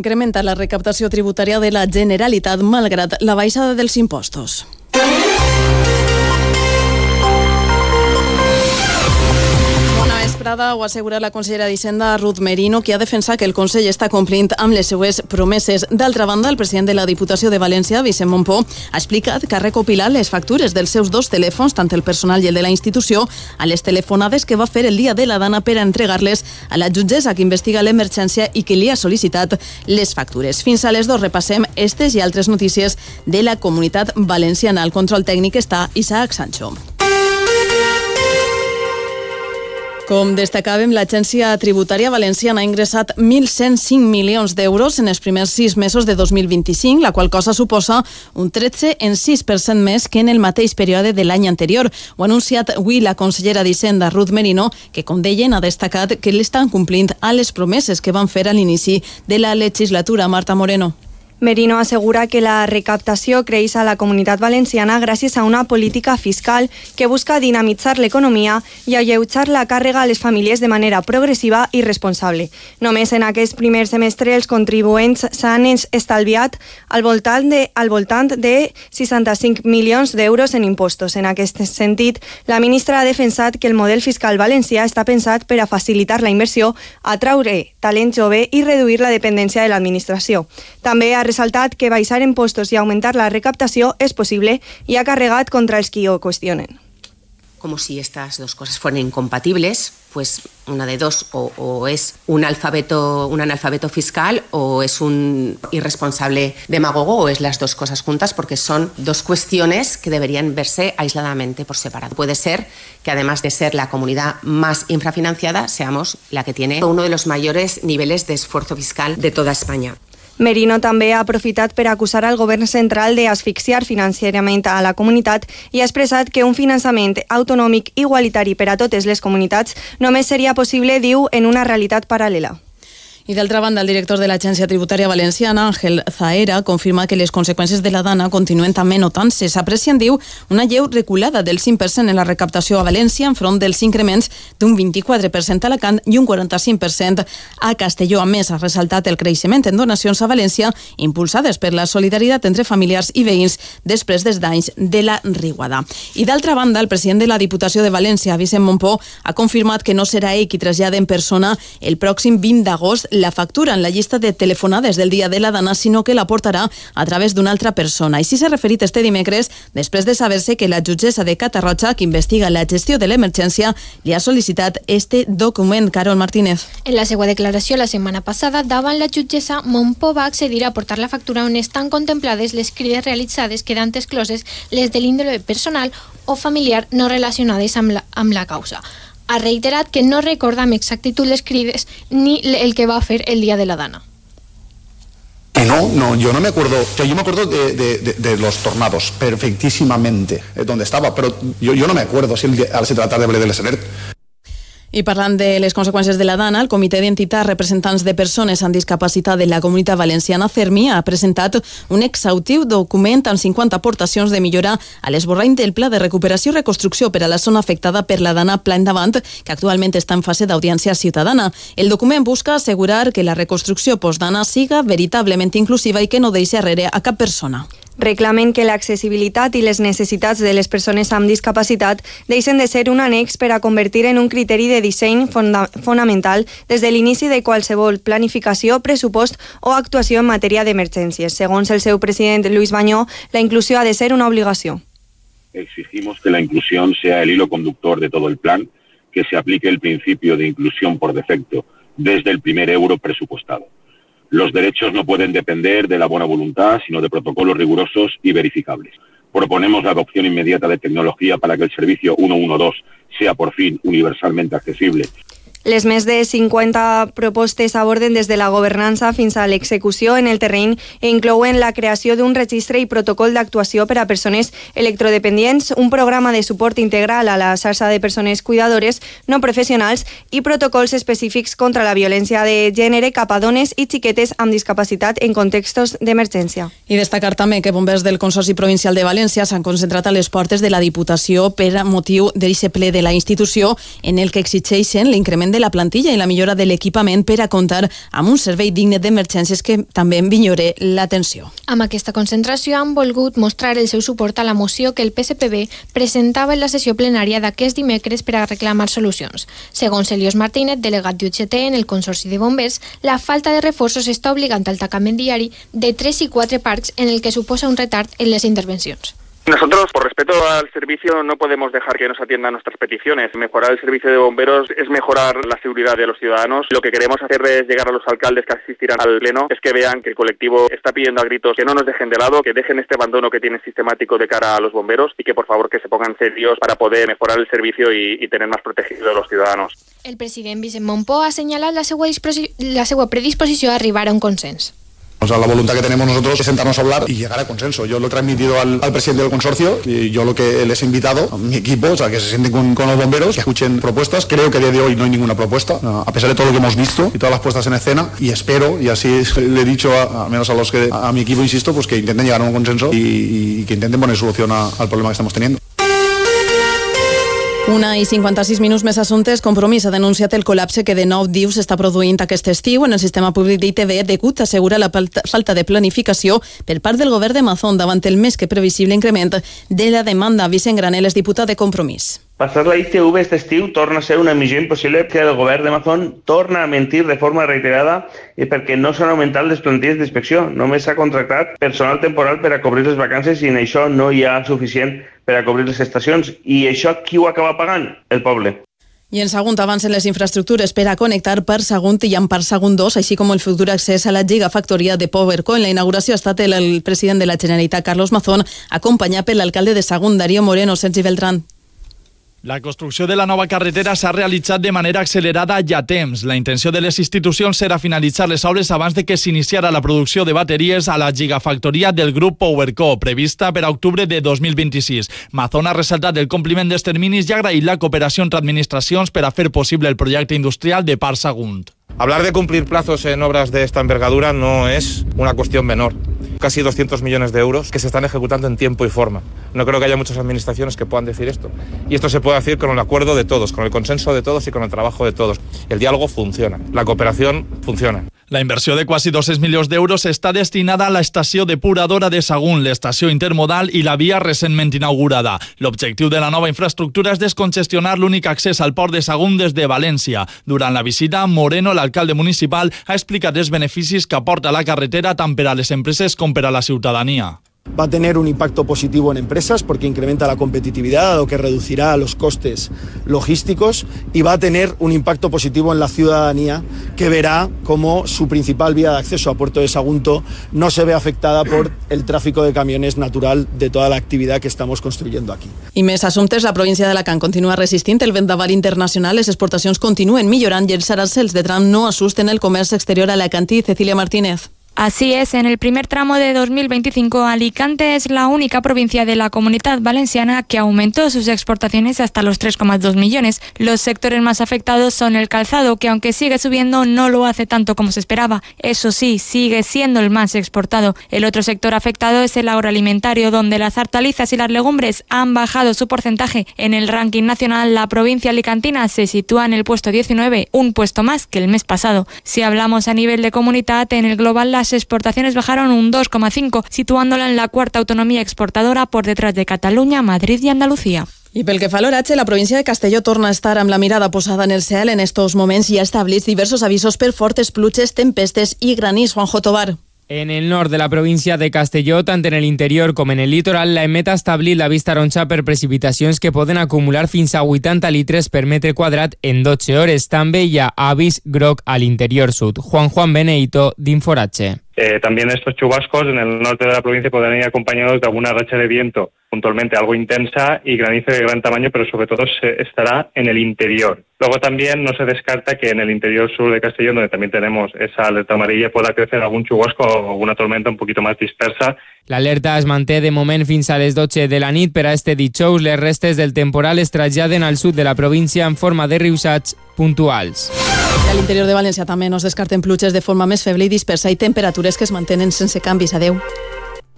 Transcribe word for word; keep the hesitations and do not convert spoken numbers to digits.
Incrementa la recaptació tributària de la Generalitat malgrat la baixada dels impostos. Prada ho assegura la consellera d'Hisenda Ruth Merino, que ha defensat que el Consell està complint amb les seues promeses. D'altra banda, el president de la Diputació de València, Vicent Montpó, ha explicat que ha recopilat les factures dels seus dos telèfons, tant el personal i el de la institució, a les telefonades que va fer el dia de la Dana per a entregar-les a la jutgessa que investiga l'emergència i que li ha sol·licitat les factures. Fins a les dos repassem estes i altres notícies de la Comunitat Valenciana. Al control tècnic està Isaac Sancho. Com destacàvem, l'Agència Tributària Valenciana ha ingressat mil cent cinc milions d'euros en els primers sis mesos de dos mil vint-i-cinc, la qual cosa suposa un tretze coma sis per cent més que en el mateix període de l'any anterior. Ho ha anunciat avui la consellera d'Hisenda, Ruth Merino, que, com deien, ha destacat que l'estan complint a les promeses que van fer a l'inici de la legislatura. Marta Moreno. Merino assegura que la recaptació creix a la Comunitat Valenciana gràcies a una política fiscal que busca dinamitzar l'economia i alleujar la càrrega a les famílies de manera progressiva i responsable. Només en aquest primer semestre els contribuents s'han estalviat al voltant de, al voltant de seixanta-cinc milions d'euros en impostos. En aquest sentit, la ministra ha defensat que el model fiscal valencià està pensat per a facilitar la inversió, atraure talent jove i reduir la dependència de l'administració. També ha resaltat que baixar impostos i augmentar la recaptació és possible i ha carregat contra els qui ho qüestionen. Como si estas dos cosas fueran incompatibles, pues una de dos, o, o es un alfabeto, un analfabeto fiscal, o es un irresponsable demagogo, o es las dos cosas juntas, porque son dos cuestiones que deberían verse aisladamente por separado. Puede ser que, además de ser la comunidad más infrafinanciada, seamos la que tiene uno de los mayores niveles de esfuerzo fiscal de toda España. Merino també ha aprofitat per acusar al govern central d'asfixiar financerament a la comunitat i ha expressat que un finançament autonòmic igualitari per a totes les comunitats només seria possible, diu, en una realitat paral·lela. I d'altra banda, el director de l'Agència Tributària Valenciana, Ángel Zaera, confirma que les conseqüències de la Dana continuen també notant-se. S'aprecien, diu, una lleu reculada del cinc per cent en la recaptació a València enfront dels increments d'un vint-i-quatre per cent a Alacant i un quaranta-cinc per cent a Castelló. A més, ha ressaltat el creixement en donacions a València impulsades per la solidaritat entre familiars i veïns després dels danys de la riuada. I d'altra banda, el president de la Diputació de València, Vicent Montpó, ha confirmat que no serà ell qui trasllada en persona el pròxim vint d'agost la factura en la llista de telefonades del dia de la Dana, sinó que la portarà a través d'una altra persona. Així s'ha referit este dimecres, després de saber-se que la jutgessa de Catarroja, que investiga la gestió de l'emergència, li ha sol·licitat este document. Carol Martínez. En la seva declaració la setmana passada, davant la jutgessa, Montpó va accedir a portar la factura on estan contemplades les crides realitzades, quedant excloses les de l'índole personal o familiar no relacionades amb la, amb la causa. Ha reiterat que no recorda amb exactitud les crides ni el que va fer el día de la Dana. No, no, yo no me acuerdo, o sea, yo me acuerdo de, de, de, de los tornados, perfectísimamente, eh, donde estaba, pero yo, yo no me acuerdo si el, al se tratar de Ble de l'Essener. I parlant de les conseqüències de la Dana, el Comitè d'Entitats Representants de Persones amb Discapacitat de la Comunitat Valenciana, CERMI, ha presentat un exhaustiu document amb cinquanta aportacions de millora a l'esborrany del Pla de Recuperació i Reconstrucció per a la zona afectada per la Dana Pla Endavant, que actualment està en fase d'audiència ciutadana. El document busca assegurar que la reconstrucció post-Dana siga veritablement inclusiva i que no deixi arrere a cap persona. Reclamen que l'accessibilitat i les necessitats de les persones amb discapacitat deixen de ser un annex per a convertir en un criteri de disseny fonda- fonamental des de l'inici de qualsevol planificació, pressupost o actuació en matèria d'emergències. Segons el seu president Luis Bañó, la inclusió ha de ser una obligació. Exigimos que la inclusión sea el hilo conductor de todo el plan, que se aplique el principio de inclusión por defecto desde el primer euro presupuestado. Los derechos no pueden depender de la buena voluntad, sino de protocolos rigurosos y verificables. Proponemos la adopción inmediata de tecnología para que el servicio ciento doce sea por fin universalmente accesible. Les més de cinquanta propostes aborden des de la governança fins a l'execució en el terreny i inclouen la creació d'un registre i protocol d'actuació per a persones electrodependients, un programa de suport integral a la xarxa de persones cuidadores no professionals i protocols específics contra la violència de gènere cap a dones i xiquetes amb discapacitat en contextos d'emergència. I destacar també que bombers del Consorci Provincial de València s'han concentrat a les portes de la Diputació per motiu d'aquest ple de la institució en el que exigeixen l'increment increment de la plantilla i la millora de l'equipament per a comptar amb un servei digne d'emergències que també millore l'atenció. Amb aquesta concentració han volgut mostrar el seu suport a la moció que el P S P B presentava en la sessió plenària d'aquest dimecres per a reclamar solucions. Segons Elios Martínez, delegat d'U G T en el Consorci de Bombers, la falta de reforços està obligant al tancament diari de tres i quatre parcs en el que suposa un retard en les intervencions. Nosotros, por respeto al servicio, no podemos dejar que nos atiendan nuestras peticiones. Mejorar el servicio de bomberos es mejorar la seguridad de los ciudadanos. Lo que queremos hacer es llegar a los alcaldes que asistirán al pleno, es que vean que el colectivo está pidiendo a gritos que no nos dejen de lado, que dejen este abandono que tienen sistemático de cara a los bomberos y que por favor que se pongan serios para poder mejorar el servicio y, y tener más protegidos a los ciudadanos. El president Vicent Montpó ha señalat la seva, la seva predisposició a arribar a un consens. O sea, la voluntad que tenemos nosotros es sentarnos a hablar y llegar a consenso. Yo lo he transmitido al, al presidente del consorcio y yo lo que les he invitado a mi equipo, o sea, que se sienten con, con los bomberos, que escuchen propuestas. Creo que a día de hoy no hay ninguna propuesta, a pesar de todo lo que hemos visto y todas las puestas en escena, y espero, y así le he dicho a, al menos a los que a mi equipo, insisto, pues que intenten llegar a un consenso y, y que intenten poner solución a, al problema que estamos teniendo. Una i cinquanta-sis minuts més assumptes. Compromís ha denunciat el col·lapse que de nou diu s'està produint aquest estiu en el sistema públic d'I T V degut, assegura, la falta de planificació per part del govern de Mazón davant el més que previsible increment de la demanda. Vicent Granel és diputat de Compromís. Passar la I T V aquest estiu torna a ser una missió impossible que el govern de Mazón torna a mentir de forma reiterada i perquè no s'han augmentat les plantilles d'inspecció. Només s'ha contractat personal temporal per a cobrir les vacances i en això no hi ha suficient per a cobrir les estacions. I això qui ho acaba pagant? El poble. I en Sagunt avancen les infraestructures per a connectar Parc Sagunt i amb Parc Sagunt dos, així com el futur accés a la gigafactoria de Powerco. En la inauguració ha estat el, el president de la Generalitat, Carlos Mazón, acompanyat per l'alcalde de Sagunt, Darío Moreno. Sergi Beltrán. La construcció de la nova carretera s'ha realitzat de manera accelerada i a temps. La intenció de les institucions era finalitzar les obres abans de que s'iniciara la producció de bateries a la gigafactoria del grup Powerco, prevista per a octubre de dos mil vint-i-sis. Mazón ha ressaltat el compliment dels terminis i ha agraït la cooperació entre administracions per a fer possible el projecte industrial de Parc Sagunt. Hablar de cumplir plazos en obras de esta envergadura no es una cuestión menor. Casi doscientos millones de euros que se están ejecutando en tiempo y forma. No creo que haya muchas administraciones que puedan decir esto. Y esto se puede hacer con el acuerdo de todos, con el consenso de todos y con el trabajo de todos. El diálogo funciona, la cooperación funciona. La inversió de quasi dos-cents milions d'euros està destinada a l'estació depuradora de Sagunt, l'estació intermodal i la via recentment inaugurada. L'objectiu de la nova infraestructura és descongestionar l'únic accés al port de Sagunt des de València. Durant la visita, Moreno, l'alcalde municipal, ha explicat els beneficis que aporta la carretera tant per a les empreses com per a la ciutadania. Va a tener un impacto positivo en empresas porque incrementa la competitividad, lo que reducirá los costes logísticos, y va a tener un impacto positivo en la ciudadanía, que verá cómo su principal vía de acceso a Puerto de Sagunto no se ve afectada por el tráfico de camiones natural de toda la actividad que estamos construyendo aquí. I més assumptes, la província d'Alacant continua resistint el vendaval internacional, les exportacions continuen millorant i els arancels de tram no assusten el comerç exterior alacantí. Cecilia Martínez. Así es, en el primer tramo de dos mil veinticinco, Alicante es la única provincia de la Comunidad Valenciana que aumentó sus exportaciones hasta los tres coma dos millones. Los sectores más afectados son el calzado, que aunque sigue subiendo, no lo hace tanto como se esperaba. Eso sí, sigue siendo el más exportado. El otro sector afectado es el agroalimentario, donde las hortalizas y las legumbres han bajado su porcentaje. En el ranking nacional, la provincia alicantina se sitúa en el puesto diecinueve, un puesto más que el mes pasado. Si hablamos a nivel de comunidad, en el global las exportaciones bajaron un dos coma cinco, situándola en la cuarta autonomía exportadora por detrás de Cataluña, Madrid y Andalucía. I pel que fa a l'oratge, la província de Castelló torna a estar amb la mirada posada en el cel. En estos moments hi ha establerts diversos avisos per fortes pluges, tempestes i granís. Juanjo Tobar. En el nord de la província de Castelló, tant en l'interior com en el litoral, la EMET ha establit la vista taronja per precipitacions que poden acumular fins a vuitanta litres per metre quadrat en dotze hores. També hi ha avís groc a l'interior sud. Juan Juan Beneito, d'Inforatge. Eh, también estos chubascos en el norte de la provincia podrán ir acompañados de alguna racha de viento puntualmente algo intensa y granizo de gran tamaño, pero sobre todo se estará en el interior. Luego también no se descarta que en el interior sur de Castellón, donde también tenemos esa alerta amarilla, pueda crecer algún chubasco o alguna tormenta un poquito más dispersa. L'alerta es manté de moment fins a les dotze de la nit. Per a este dijous, les restes del temporal es traslladen al sud de la província en forma de riussats puntuals. I a l'interior de València també no es descarten pluges de forma més feble i dispersa i temperatures que es mantenen sense canvis. Adeu.